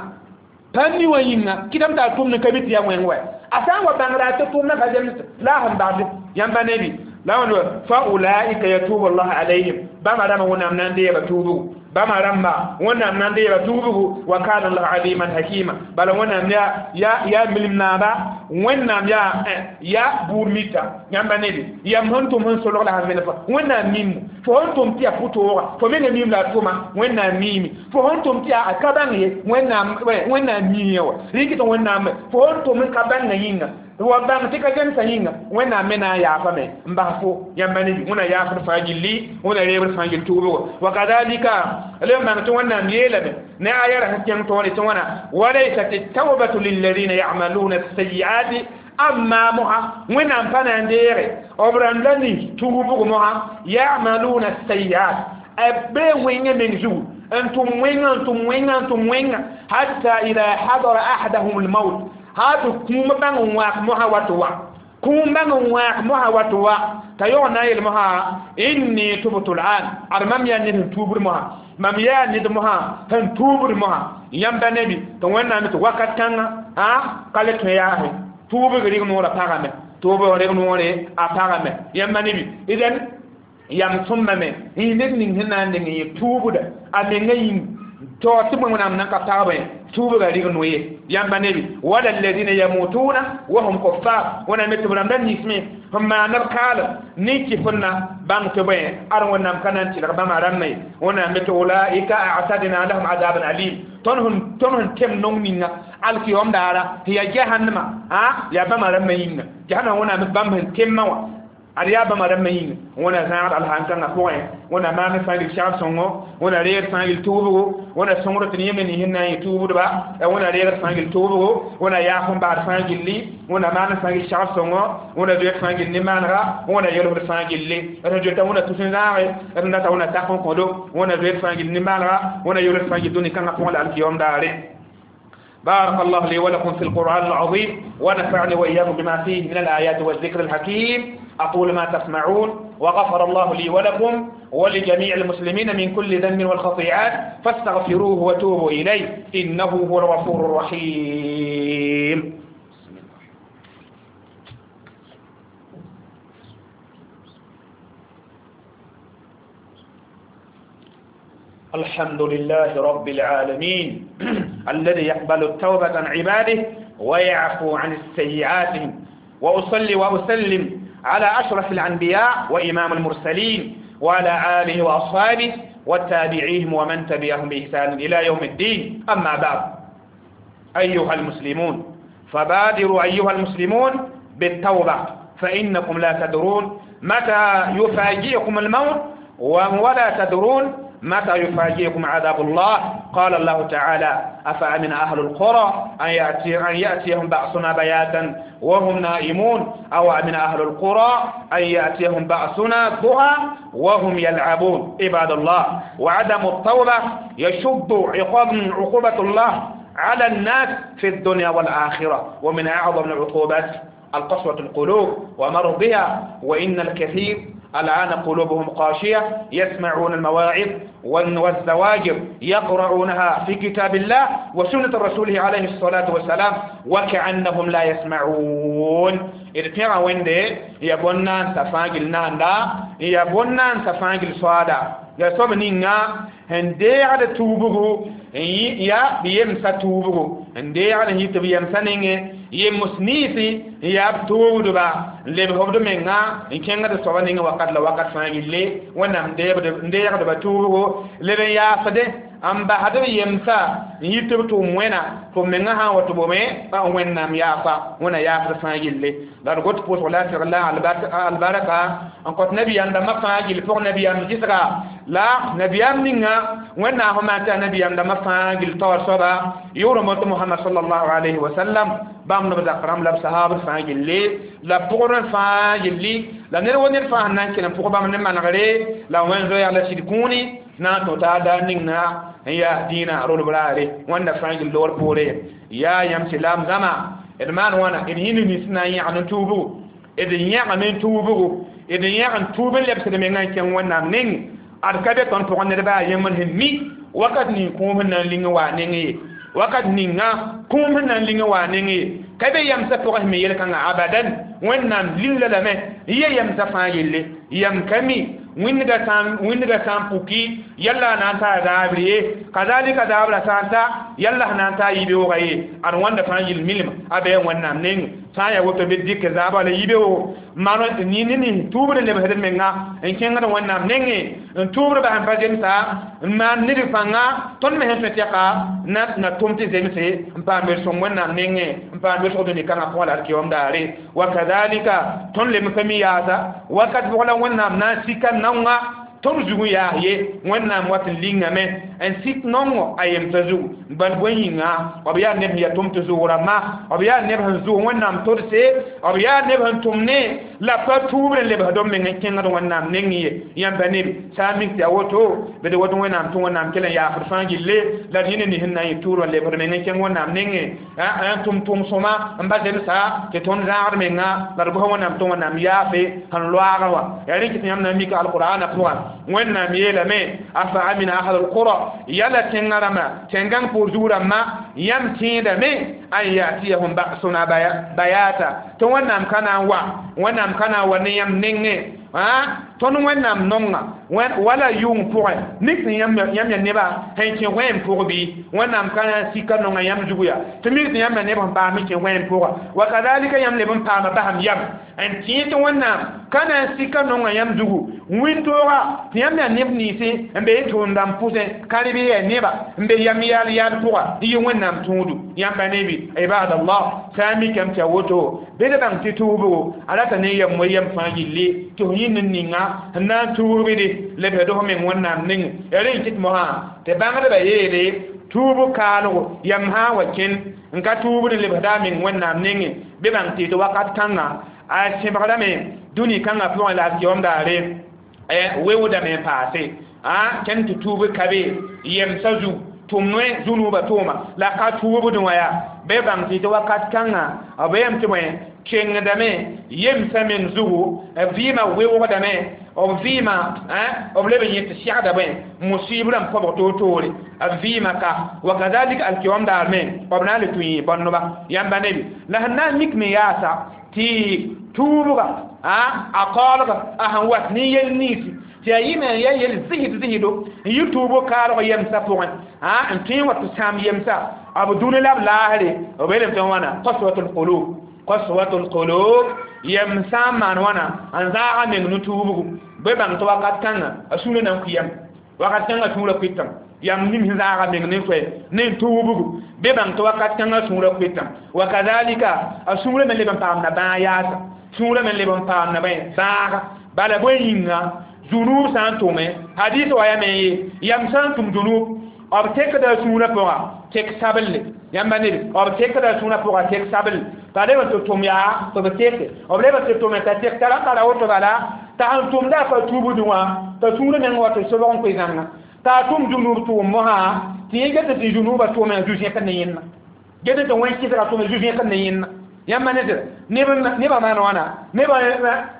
[SPEAKER 1] pa mi wã yĩnga kɩtame t'a tʋmd n ka mi tɩ yaa wẽng wɛ a sã n wa bãngra tɩ tʋʋmdã pa zems la a sẽn bagd yãmba ne bɩ la wãn fa ulaika yatubu llah alayhim bãmba rãmba wẽnnaam na n deega tuubgo bãmba rãmba wẽnnaam na n deega tuubgo wa kana llah aliman hakima bala wẽnnaam yaa yaa milim naaba wẽnnaam yaa yaa buud mita yãmba ne bɩ yam sẽn tʋm sẽn solg la sẽn vẽneg wẽnnaam mimmo fo sẽn tʋm tɩ yaa pʋtooga fo menga miim la a tʋma wẽnnaam miime fo sẽn tʋm tɩ yaa a ka bãng ye wẽnnaam wẽnnaam miiã wa rɩk tɩ wẽnnaam fo sẽn tʋm n ka bãngã yĩnga wa bãng tɩ ka zemsã yĩnga wẽnnaam me na n yaafame n bas fo yãmba ne wẽna yaafd fãa gilli wẽna reebd fãa gill tuubgo wa kadalika le n bãng tɩ wẽnnaam yeelame ne aya ra sẽn kẽng tõore tɩ wãna walaysat التوبة للذين يعملون السيئات أما moha wẽnnaam pa na n deege b rãmb la ning tuubg moha يعملون السيئات b bee wẽngã meng zugu n tʋm wẽngã n tʋm wẽngã n tʋm wẽngã hatta ida hadara ahadahum almaut ha tɩ kũum bãng n wãak mosã wat wa kũum bãng n wãak mosã wat wa t'a yog na n yel mosã inni tubtu lan ad mam yaa ned sẽn tuubd mosã mam yaa ned mosã sẽn tuubd mosã yãmba nebi tɩ wẽnnaam tɩ wakat kãngã a ka le tõe yaase tuubg rɩg noorã pagame tuubg rɩg noore a pagame yãmba nebi idan yam sõmbame yẽ ned ning sẽn na n deng yẽ tuubda a menga yĩng to tɩ wẽnnaam nan ka pagbe tuubga rɩg noye yãmba nebi wala alladina yamutuna wa hum kuffar wẽnnaam tɩ b rãmba ninsme sẽn maan b kaalem ne kɩfenna bãng tɩ bõe ad wẽnnaam ka na n tɩlg bãmba rãmbã ye wẽnnaam tɩ ulaika a'tadna lahum azaban alim tõnd sẽn tõnd sẽn tem nong ninga alkiyom daara tɩ yaa jahannama a yaa bãmba rãmbã yĩnga jahannama wẽnnaam bãmb sẽn temã wã ad yaa bãmba rãmbã yĩnga wẽna zãagd alhankãngã pʋgẽ wẽna maan sã n gil segd sõngo wẽna reegd sã n gil tuubgo wẽna sõngd tɩ yẽmne nins sẽn na n yẽ tuubdba wẽna reegd sã n gil tuubgo wẽna yaaf n baad sã n gilli wẽna maan sã n gil segd sõngo wẽna zoet sã n gil ne-maanega wẽna yelfd sã n gilli d sẽn zoeta wẽna tus n zãage d sẽn data wẽna tak n kõdo wẽna zoet sã n gil ne-maanega wẽna yelfd sã n gil dũni kãngã pʋgẽ la alkiyom daare بارك الله لي ولكم في القرآن العظيم ونفعني وإياكم بما فيه من الآيات والذكر الحكيم أقول ما تسمعون وغفر الله لي ولكم ولجميع المسلمين من كل ذنب والخطيئات فاستغفروه وتوبوا إليه إنه هو الغفور الرحيم. الحمد لله رب العالمين الذي يقبل التوبة عن عباده ويعفو عن السيئات وأصلي وأسلم على أشرف الأنبياء وإمام المرسلين وعلى آله وأصحابه والتابعيهم ومن تبعهم بإحسان إلى يوم الدين. أما بعد، أيها المسلمون، فبادروا أيها المسلمون بالتوبة، فإنكم لا تدرون متى يفاجئكم الموت ولا تدرون متى يفاجئكم عذاب الله. قال الله تعالى: أفأمن أهل القرى أن, يأتي أن يأتيهم بأسنا بياتا وهم نائمون أو أمن أهل القرى أن يأتيهم بأسنا ضحى وهم يلعبون. عباد الله، وعدم التوبة يشد عقاب عقوبة الله على الناس في الدنيا والآخرة، ومن أعظم العقوبات القسوة القلوب ومرضها، وإن الكثير الآن قلوبهم قاشية يسمعون المواعظ والزواجر يقرؤونها في كتاب الله وسنة رسوله عليه الصلاة والسلام وكأنهم لا يسمعون. إذا وين يبونان تفاجل ناندا يبونان تفاجل صادا يا صوب نينا هندي على توبه يا بيمسا توبه هندي على هيت بيمسا نينه yemus niisi n yaa b toogdba n lebs b menga n kẽngd soaba ning wakat la wakat fãa gilli wẽnnaam n deegdba tuubgo leb n yaasde n basd b yemsa n yit b tʋʋm wẽna tɩ b menga sã n wa tɩ bome wẽnnaam yaafa wẽna yaasd fãa gilli la d got pʋʋsg la tɩg la albarka n kõt nabiyaam dãmbã fãa gill pʋg nabiyaam gɩsga la nabiyaam ninga wẽnnaam sẽn maan tɩ a nabiyaam dãmbã fãa gill taoor soaba yʋʋr tɩ Muhammad sallallahu alayhi wa sallam bãmb neb zakr rãmb la b sahaab fãa gilli la pʋgr fãa gilli la ned wo ned fãa sẽn na n kell n pʋg bãmb ne manegre la wẽn zoɛɛg la sɩd kũuni na n tõ taa daar ning na n yaa dĩinã rolb raare wẽnda fãa gill loogr poore yaa yãmb sɩlaam zãma d maan wãna d yĩnd nins na n yãgd n tuubgo d yãgame n tuubgo d yãg n tuub n lebsd mengã n kẽng wẽnnaam ning ad ka be tõnd pʋgẽ ned baa yembr sẽn mi wakat ning kũum sẽn na n ling n waa neng ye wakat ninga kũum sẽn na n ling n waa neng ye ka be yamsã pʋgẽ sẽn me yel-kãngã abadan wẽnnaam lilla lame n ye yamsã fãa yelle yam ka mi wĩndga sã wĩndga sã n puki yalla na n taa zaabr ye kazalika zaabra sã n ta yalla sẽn na n taa yibeoogã ye ad wãnda fãa yill milm a bɩ wẽnnaam neng sã n yaa woto bɩ dɩk zaabã la yibeoogo maan ne ne tuubd n lebsd menga n kẽngd wẽnnaam nengẽ n tuubd bas n pa zemsa n maan ned pãnga tõnd me sẽn tõe tɛka na na tʋm tɩ zemse n paam ber-sõng wẽnnaam nengẽ n paam ber-sõg dũni kãngã pʋgã la d keoom daare wa kazalika tõnd lem pa mi yaasa wakat pʋg la wẽnnaam na n sika naongã tõnd zug n yaas ye wẽnnaam wat n lingame n sik nongo a yemsã zugu bal bõe yĩnga b yaa neb sẽn yaa tʋm tɩ zʋʋg rãmba b yaa neb sẽn zʋg wẽnnaam todse b yaa neb sẽn tʋm ne la pa tuubr n lebsd b meng n kẽngd wẽnnaam neng ye yãmba neb sã n mik tɩ yaa woto bɩ d woto wẽnnaam tɩ wẽnnaam kell n yaasd fãa gille la d yĩnd nins n na n yɩ tuur n lebsd meng n kẽng wẽnnaam nengẽ n tʋm tʋʋm sõma n ba zemsa tɩ tõnd zãagd menga la d gos wẽnnaam tɩ wẽnnaam yaafe sẽn loaagã wã yaa rẽ kɩ tɩ yãmb na n mika alqur'ana pʋgã wẽnnaam yeelame afa amina ahlul qura yala tẽngã rãmbã tẽn-gãng pʋʋr zug rãmbã yãmb tẽedame an yatiyahum ba'suna bayata tɩ wẽnnaam ka na n wa wẽnnaam ka na n wa ne yãmb nengẽ tõnd wẽnnaam nonga wala yʋng pʋgẽ mik tɩ yãmb yaa nebã sẽn kẽ wẽem pʋg bɩ wẽnnaam ka na n sika nonga yãmb zugu yaa tɩ mik tɩ yãmb yaa neb sẽn paam kẽ wẽem pʋga wa kazalika yãmb leb n paama basam yam n tẽe tɩ wẽnnaam ka na n sika nonga yãmb zugu wĩntooga tɩ yãmb yaa neb ninsẽ n be tʋʋm-dãmb pʋsẽ ka reb yaa neba n be yam yaal yaal pʋga n yɩ wẽnnaam tõodu yãmba nebi ibadallah sã n mikame tɩ yaa woto bɩ d bãng tɩ tuubgo a rata ne yam wa yam fãa gilli tɩ f yĩnd n ninga n na n tuubde lebsd f meng wẽnnaam neng yaa rẽ n kɩt mosã tɩ bãngdbã yeele tuub kaalgo yam sã n wa kẽnd n ka tuubd n lebsda a meng wẽnnaam nengẽ bɩ bãng tɩ tɩ wakat kãnga a sẽbgdame dũni kãngã pʋgẽ la a keoom daare weoodame n paase kẽnd tɩ tuub ka be yemsã zug tʋm noe zu-nuubã tʋʋma la ka tuubdẽ wã yaa bɩ bãng tɩ tɩ wakat kãnga b yam tɩ bõe kengdame yemsã meng zugu b vɩɩmã weoogdame b vɩɩmã b leb n yẽ tɩ segda bõe musib rãmb kõbg toor-toore b vɩɩmã ka wa kazalika alkeoom daar me b na n le tũ yẽ bõneba yãmba nebi la sẽn na n mik me yaasa tɩ tuubga a kaoolga a sẽn wat ne yel ninsi Tɩ yaa yɩme n yaa yel zɩsd zɩsdo n yɩ tuubo kaalg yemsã pʋgẽ n tõe n wa tɩ sãam yemsa b dũni la b laasre b yeelame tɩ wãna qaswatul qulub qaswatul qulub yem sã n maan wãna n zaaga meng ne tuubgu bɩ bãng tɩ wakat kãnga a sũurã na n kʋ yam wakat kãngã sũurã kʋɩtame yam ning sẽn zaaga meng ne koɛ ne tuubgu bɩ bãng tɩ wakat kãngã sũurã kʋɩtame wa kazalika a sũurã me leb n paamda bãag yaasa sũurã me leb n paamda bãaga bala bõe yĩnga zunub sã n tʋme hadis wa yame ye yam sã n tʋm zunub b tekda sũurã pʋga tek sabelle yãmba ned b tekda sũurã pʋga tek sabelle t'a leb n tɩ tʋm yaa tɩ b teke b leb n tɩ tʋme t'a tek tara n tara woto bala t'a sẽn tʋmda a pa tuubdẽ wã t'a sũurã meng wa tɩ sobg n koe zãnga t'a tʋm zunub tʋʋm mosã tɩ yẽ get tɩ zunubã tʋʋme zu-zẽkd ne yẽnna get tɩ wẽn-kɩsga tʋme zu-zẽkd ne yẽnna yãmba ne nebã maan wãna nebã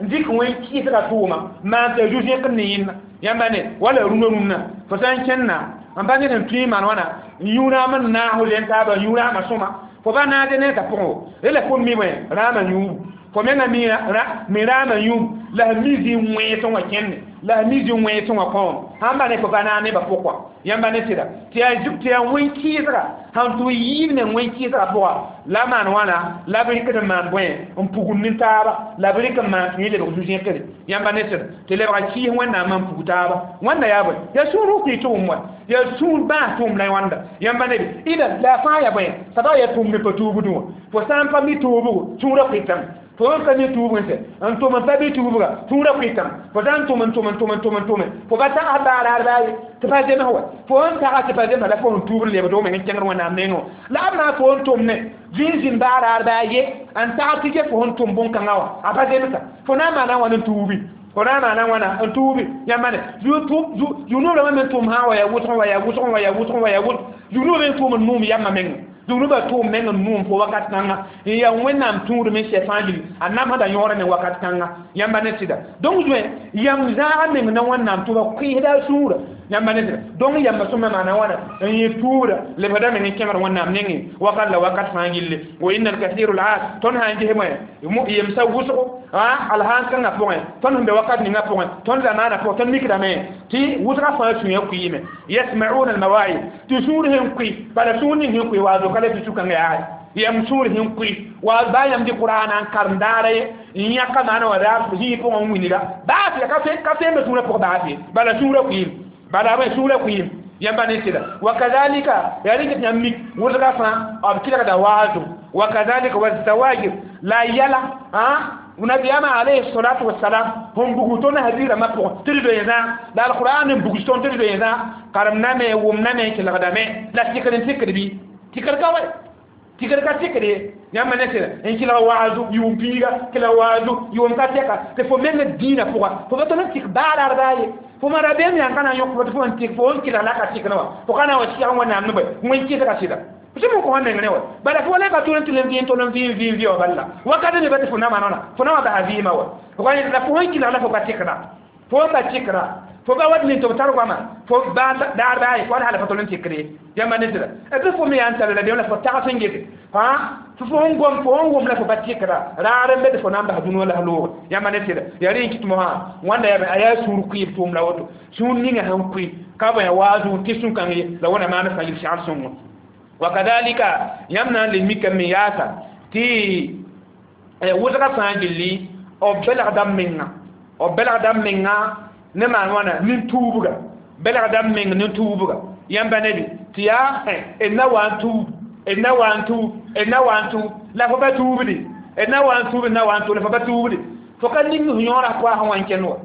[SPEAKER 1] n dɩk wẽn-kɩsga tʋʋma maan t'a zu-zẽkd ne yẽnna yãmba ne wala rũnã rũnã fo sã n kẽnna n pa ned n tõe n maan wãna n yũ raam n naas len taaba yũ raamã sõma fo ba naasd ne t'a pʋgẽ rela fo mi bõe raamã yũubu fo menga mi raamã yũub la sẽn mi zĩ wẽesẽ wã kẽnne la sẽn mi zĩ wẽesẽ wã kõom sãn ba ne fo ba naag nebã pʋg wã yãmba ne sɩda tɩ yaa wẽn-kɩɩsga sãn tʋ yɩɩd me wẽn-kɩɩsga pʋga la maan wãna la b rɩkd n maan bõe n pugd ne taaba la b rɩk n maan tɩ yẽ lebg zu-zẽkre yãmba ne sɩda tɩ lebga kɩɩs wẽnnaam n pug taaba wãnda yaa bõe yaa sũur kʋɩ tʋʋm wa yaa sũur bãas tʋʋm la wãnda yãmba ne ida la a fãa yaa bõe saba yaa tʋʋm ne pa tuubdẽ wã fo sã n pa mi tuubgo sũurã kʋɩtame fo n ka mi tuubg n sɛ n tʋm n pa bɩ tuubga sũurã kʋɩtame fo sã n tʋm n tʋm n tʋm n tʋm n tʋme fo pa tags baaraar baa ye tɩ pa zems wa fo n tags tɩ pa zemsa la fo n tuubd lebd meng n kẽngd wẽnnaam nengẽ la b na fo n tʋm ne zĩn zĩn baaraar baa ye n tags tɩ ge fo sẽn tʋm bõn-kãngã wã a pa zemsa fo na n maana wãn n tuubi fo na n maana wãna n tuubi yãmba ne zũnub me tʋm sã n wa yaa wʋsg wa yaa wʋsg wa yaa wʋsg wa yaa wʋsg zũnub me tʋʋm n nuum yãmbã mengẽ zũnubã tʋʋm meng n nuum fo wakat kãnga n yaa wẽnnaam tũud me sɛ fãa gilli a namsda yõora me wakat kãnga yãmba ne sɩda donc zoe yam zaaga meng na wẽnnaam tʋba kʋɩsda a sũurã yãmba ne sɩda donc yamba sõma maana wãna n yẽ tuubda lebsda meng n kẽngd wẽnnaam nengẽ wakat la wakat fãa gilli wa inna alkathiru laas tõnd sã n ges bõe yemsa wʋsgo alhaan kãngã pʋgẽ tõnd sẽn be wakat ninga pʋgẽ tõnd zamaanã pʋgẽ tõnd mikdame tɩ wʋsga fãa sũyã kʋɩɩme yasmauna almawaid tɩ sũur sẽn kʋɩ bala sũur ning sẽn kʋɩ waazo ka la tɩ sũ-kãngã yaa yam sũur sẽn kʋɩ wa baa yãmb dɩ qur'ana n karem daara ye n yãka maana wã raar zĩig pʋgẽ n wilga baase ka fembe sũurã pʋg baase bala sũurã kʋɩɩm bala bõe sũurã kʋɩɩm yãmba ne sɩda wa kazalika yaa rɩk tɩ yãmb mik wʋsga fãa b kɩlgda waazo wa kazalika wa zawajir la yɛla nabiyama alayhi salatu wassalam hon bugu tõnd hadiisrãmbã pʋgẽ tɩ d doe zã la alqur'an n bugs tõnd tɩ d doe zã karem-name wʋmname kelgdame la tɩkd n tɩkd bɩ tɩkd ka wɛ tɩkd ka tɩkd ye yãmba ne sɩda n kelg waazu yʋʋm piiga kelg waazu yʋʋm ka tɛka tɩ fo meng dĩinã pʋga fo pa tõnd n tɩk baaraar baa ye fo ma rabeem yãn ka na n yõk fo tɩ fo n tɩk fo n kelg la ka tɩk ne wã fo ka na n wa sɩg wẽnnaam ne bõe wẽn-kɩsga sɩda tɩ mo kõ meng ne wa bala fo la ka tʋl n tɩ l vɩ tʋl n vɩ n vɩ n vɩ wa balla wakat ne ba tɩ fo na maana fo na wa basa vɩɩmã wa fo ka la fo sẽn kelg la fo ka tɩkda fo n pa tɩkra fo ba wat nin tɩ b tar goama fo daar baa ye fo hala fa tʋl n tɩkd ye yãmba ne sɩda b fo me yaa n tara la la fo tags n gete tɩ fo sẽn gom fo sẽn wʋm la fo pa tɩkra raar n be tɩ fo na n bas dũniyã la loog yãmba ne sɩda yaa rẽ n kɩt mosã wãnda yaa a yaa sũur kʋɩɩb tʋʋm la woto sũur ninga sẽn kʋɩ ka bõe waazu tɩ sũ-kãng ye la wẽna maan fãa yil segl sõngo wakadhalika yãmb na n le mikame yaasa tɩ wʋsga fãa gilli b belgda menga b belgda menga ne maan wãna nin-tuubga belgda meng nin-tuubga yãmba nebi tɩ yaa d na wa n tuub d na wa n tuub d na wa n tuub la fo pa tuubdi d na wa n tuub d na wa n tuub la fo pa tuubdi fo ka ning f yõora koa sẽn wa n kẽnd wa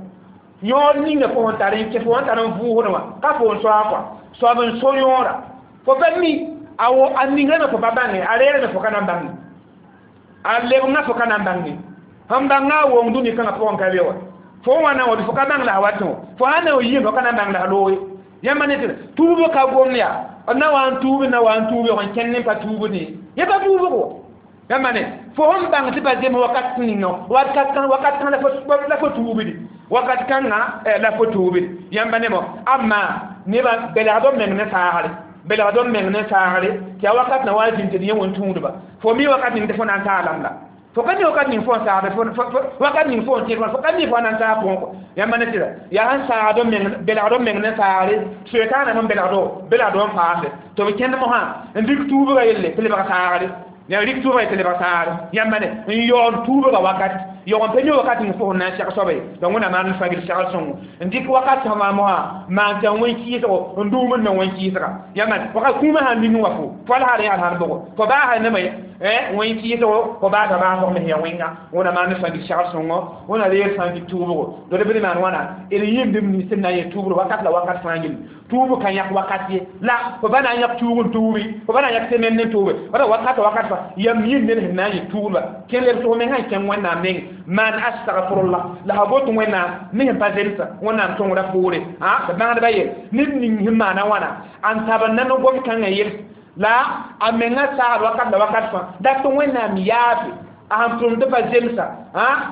[SPEAKER 1] yõor ninga fo sẽn tar n kẽ fo sẽn tar n vʋʋsd wã ka fo n soa kɔa soab n so yõora fo pa mi a wo a ningrame fo pa bãnge a reerame fo ka na n bãnge a lebengã fo ka na n bãnge sẽn bãnga a wong dũni kãngã pʋgẽ ka be wa fo wãna wã fo ka bãng la a watẽ wã fo sã na n yɩɩm fo ka na n bãng la a loog ye yãmba ne tɩ tuub ka gom yaa na wa n tuub na wa n tuub n kẽnd ne pa tuubd ye yẽ pa tuubg wa yãmba ne fo sẽn bãng tɩ pa zems wakat ninga wakat wakat kãng la fo tuubdi wakat kãngã la fo tuubdi yãmba ne mo amma nebã belgd b meng ne saagre belgd b meng ne saagre tɩ yaa wakat na wa zĩnd tɩ d yẽ wẽn tũudba fo mi wakat ning tɩ fo na n taalame la Fo ka ni wakat ning fo saagda wakat ning fo n tẽed fo ka mi fo na n saag pʋgẽ yãmba ne sɩda yaa sẽn saagd meng belgd meng ne saagre soɛkaaname n belgdo belgdo n paase tɩ b kẽnd mosã n rik tuubga yelle tɩ lebg saagre ya rik tuubga tɩ lebg saagre yãmba ne n yaood tuubga wakat yaoog n pa mi wakat ning fo sẽn na n seg soaba ye donc wẽnnaam maan fãgil segl sõngo n dɩk wakat sẽn maa mosã maan tɩ wẽn-kɩɩsgo n dũumd na wẽn-kɩɩsga yãmba wakat kũumã sãn ning wa fo fo al hal yãad sãn bʋgo fo baasa neme wẽn-kɩɩsgo fo baasa baasg me ya wẽnga wẽna maan fãgil segl sõngo wẽna reer fãgil tuubgo do d bɩ maan wãna d yĩmdem nins sẽn na n yẽ tuubr wakat la wakat fãa gilli tuub ka yãk wakat ye la fo ba na n yãk tuug n tuubi fo ba na n yãk semaine n tuube wala wakat wakat fa yam yĩm ned sẽn na n yẽ tuudba kẽ leb sʋg mengã n kẽng wẽnnaam neng maan astagfirullah la fa bot wẽnnaam ne sẽn pa zemsa wẽnnaam sõngrã poore tɩ bãngdbã yel ned ning sẽn maana wãna n tab n nan gom kãngã yels la a menga saagd wakat la wakat fãa dat tɩ wẽnnaam yaafe a sẽn tʋm tɩ pa zemsa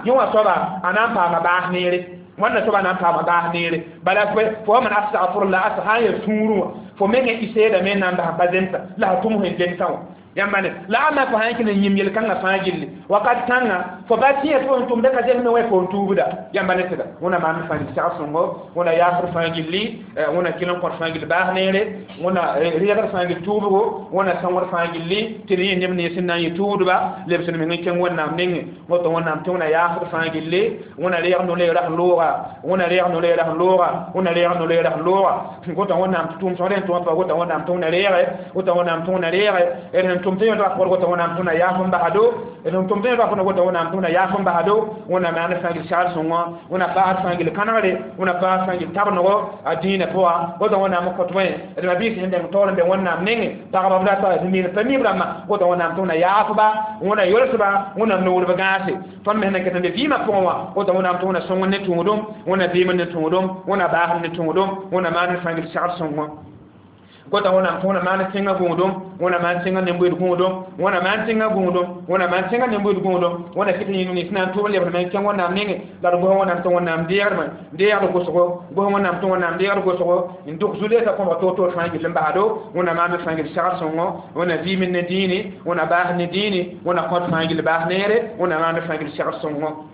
[SPEAKER 1] yẽ wã soaba a na n paama baas neere wãnna soaba na n paama baas neere bala fo man astagfirullah asa sã n yaa sũurẽ wã fo mengã y seedame n na n bas n pa zemsa la fa tʋm sẽn zemsã wã yãmba ne la ãmba fo sã n kẽ n yĩm yel-kãngã fãa gilli wakat kãngã fo ba tẽ tɩ fo sẽn tʋmda ka zemsme wã fo n tuubda yãmba ne sɩda wẽna maan fãa segl sõngo wẽna yaasd fãa gilli wẽna kɩl n kõt fãa gill baas neere wẽna reegd fãa gill tuubgo wẽna sõngd fãa gilli tɩ d yẽ neb nens sẽn na n yɩ tuudba leb sẽd meng n kẽng wẽnnaam nengẽ woto wẽnnaam tɩ wẽna yaasd fãa gilli wẽna reeg no-leerã sẽn looga wẽna reeg no-leerã sẽn looga wẽna reeg no-leerã sẽn looga wota wẽnnaam tɩ tʋʋm sõsd sẽn tʋm pa wota wẽnnaam tɩ wẽna reege wota wẽnnaam tɩ wẽna reege d sẽn tʋm tɩ yẽdga pʋgd wota wẽnnaam tɩ wẽna yaaf n basdo d sẽn tʋm tɩ yẽdga pʋgd wota wẽnnaam tɩ wẽna yaaf n basdo wẽnnaam maan fãa gill segl sõngo wẽna paasd fãa gill kãnegre wẽna paasd fãa gill tabnego a dĩinã pʋga wota wẽnnaam n kõt wẽ d mabiis sẽn dẽng taoor n be wẽnnaam nengẽ pagba b rata sẽn pa mib rãmbã wota wẽnnaam tɩ wẽna yaafba wẽna yolsba wẽna noorb gãase tõnd me sẽn na n ket n be vɩɩmã pʋgẽ wã wota wẽnnaam tɩ wẽna sõng ne tũudum wẽna vɩɩm ne tũudum wẽna baasd ne tũudum wẽna maan fãa gill segl sõngo gota wẽnnaam tɩ wẽna maan tẽngã gũudum wẽna maan tẽngã nembuid gũudum wẽna maan tẽngã gũudum wẽna maan tẽngã nembuid gũudum wẽna kɩt yĩng nins na n tʋʋm lebd me n kẽng wẽnnaam nengẽ la d gos wẽnnaam tɩ wẽnnaam deegdmẽ deegd gʋsgo gos wẽnnaam tɩ wẽnnaam deegd gʋsgo n dʋk zu-leesã kõbg toor-toor fãa gill n basdo wẽna maan fãa gill segl sõngo wẽna vɩɩm ne dĩini wẽna baas ne dĩini wẽna kõt fãa gill baas neere wẽna maan fãa gill segl sõngo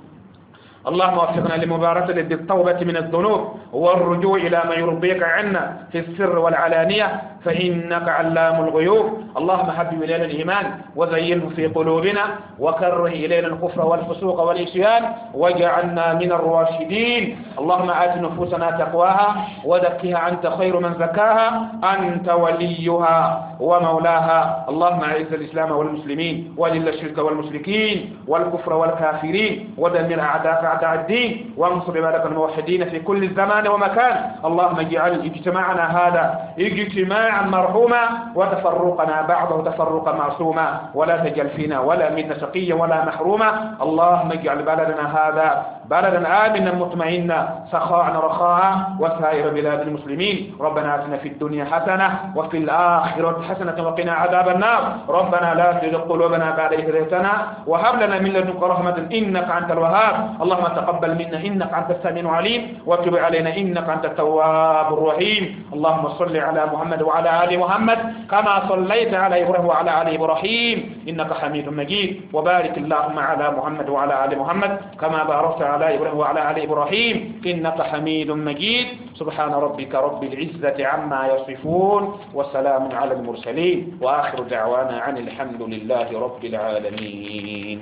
[SPEAKER 1] اللهم وفقنا لمباركة بالتوبة من الذنوب والرجوع إلى ما يرضيك عنا في السر والعلانية فإنك علام الغيوب. اللهم حبب إلينا الإيمان وزينه في قلوبنا وكره إلينا الكفر والفسوق والعصيان واجعلنا من الراشدين. اللهم آت نفوسنا تقواها وزكها أنت خير من زكاها أنت وليها ومولاها. اللهم أعز الإسلام والمسلمين وذل الشرك والمشركين والكفر والكافرين ودمر أعداءك أعداء الدين وانصر عبادك الموحدين في كل زمان ومكان. اللهم اجعل اجتماعنا هذا اجتماعا مرحوما وتفرقنا بعده تفرقا معصوما ولا تجعل فينا ولا منا شقيا ولا محروما. اللهم اجعل بلدنا هذا بلدا آمنا مطمئنا سخاء رخاء وسائر بلاد المسلمين. ربنا آتنا في الدنيا حسنة وفي الآخرة حسنة وقنا عذاب النار. ربنا لا تزغ قلوبنا بعد إذ هديتنا وهب لنا من لدنك رحمة إنك أنت الوهاب. اللهم تقبل منا إنك أنت السميع العليم وتب علينا إنك أنت التواب الرحيم. اللهم صل على محمد وعلى آل محمد كما صليت على إبراهيم وعلى آل إبراهيم إنك حميد مجيد. وبارك اللهم على محمد وعلى آل محمد كما باركت على إبراهيم وعلى آل إبراهيم إنك حميد مجيد. سبحان ربك رب العزة عما يصفون وسلام على المرسلين وآخر دعوانا عن الحمد لله رب العالمين.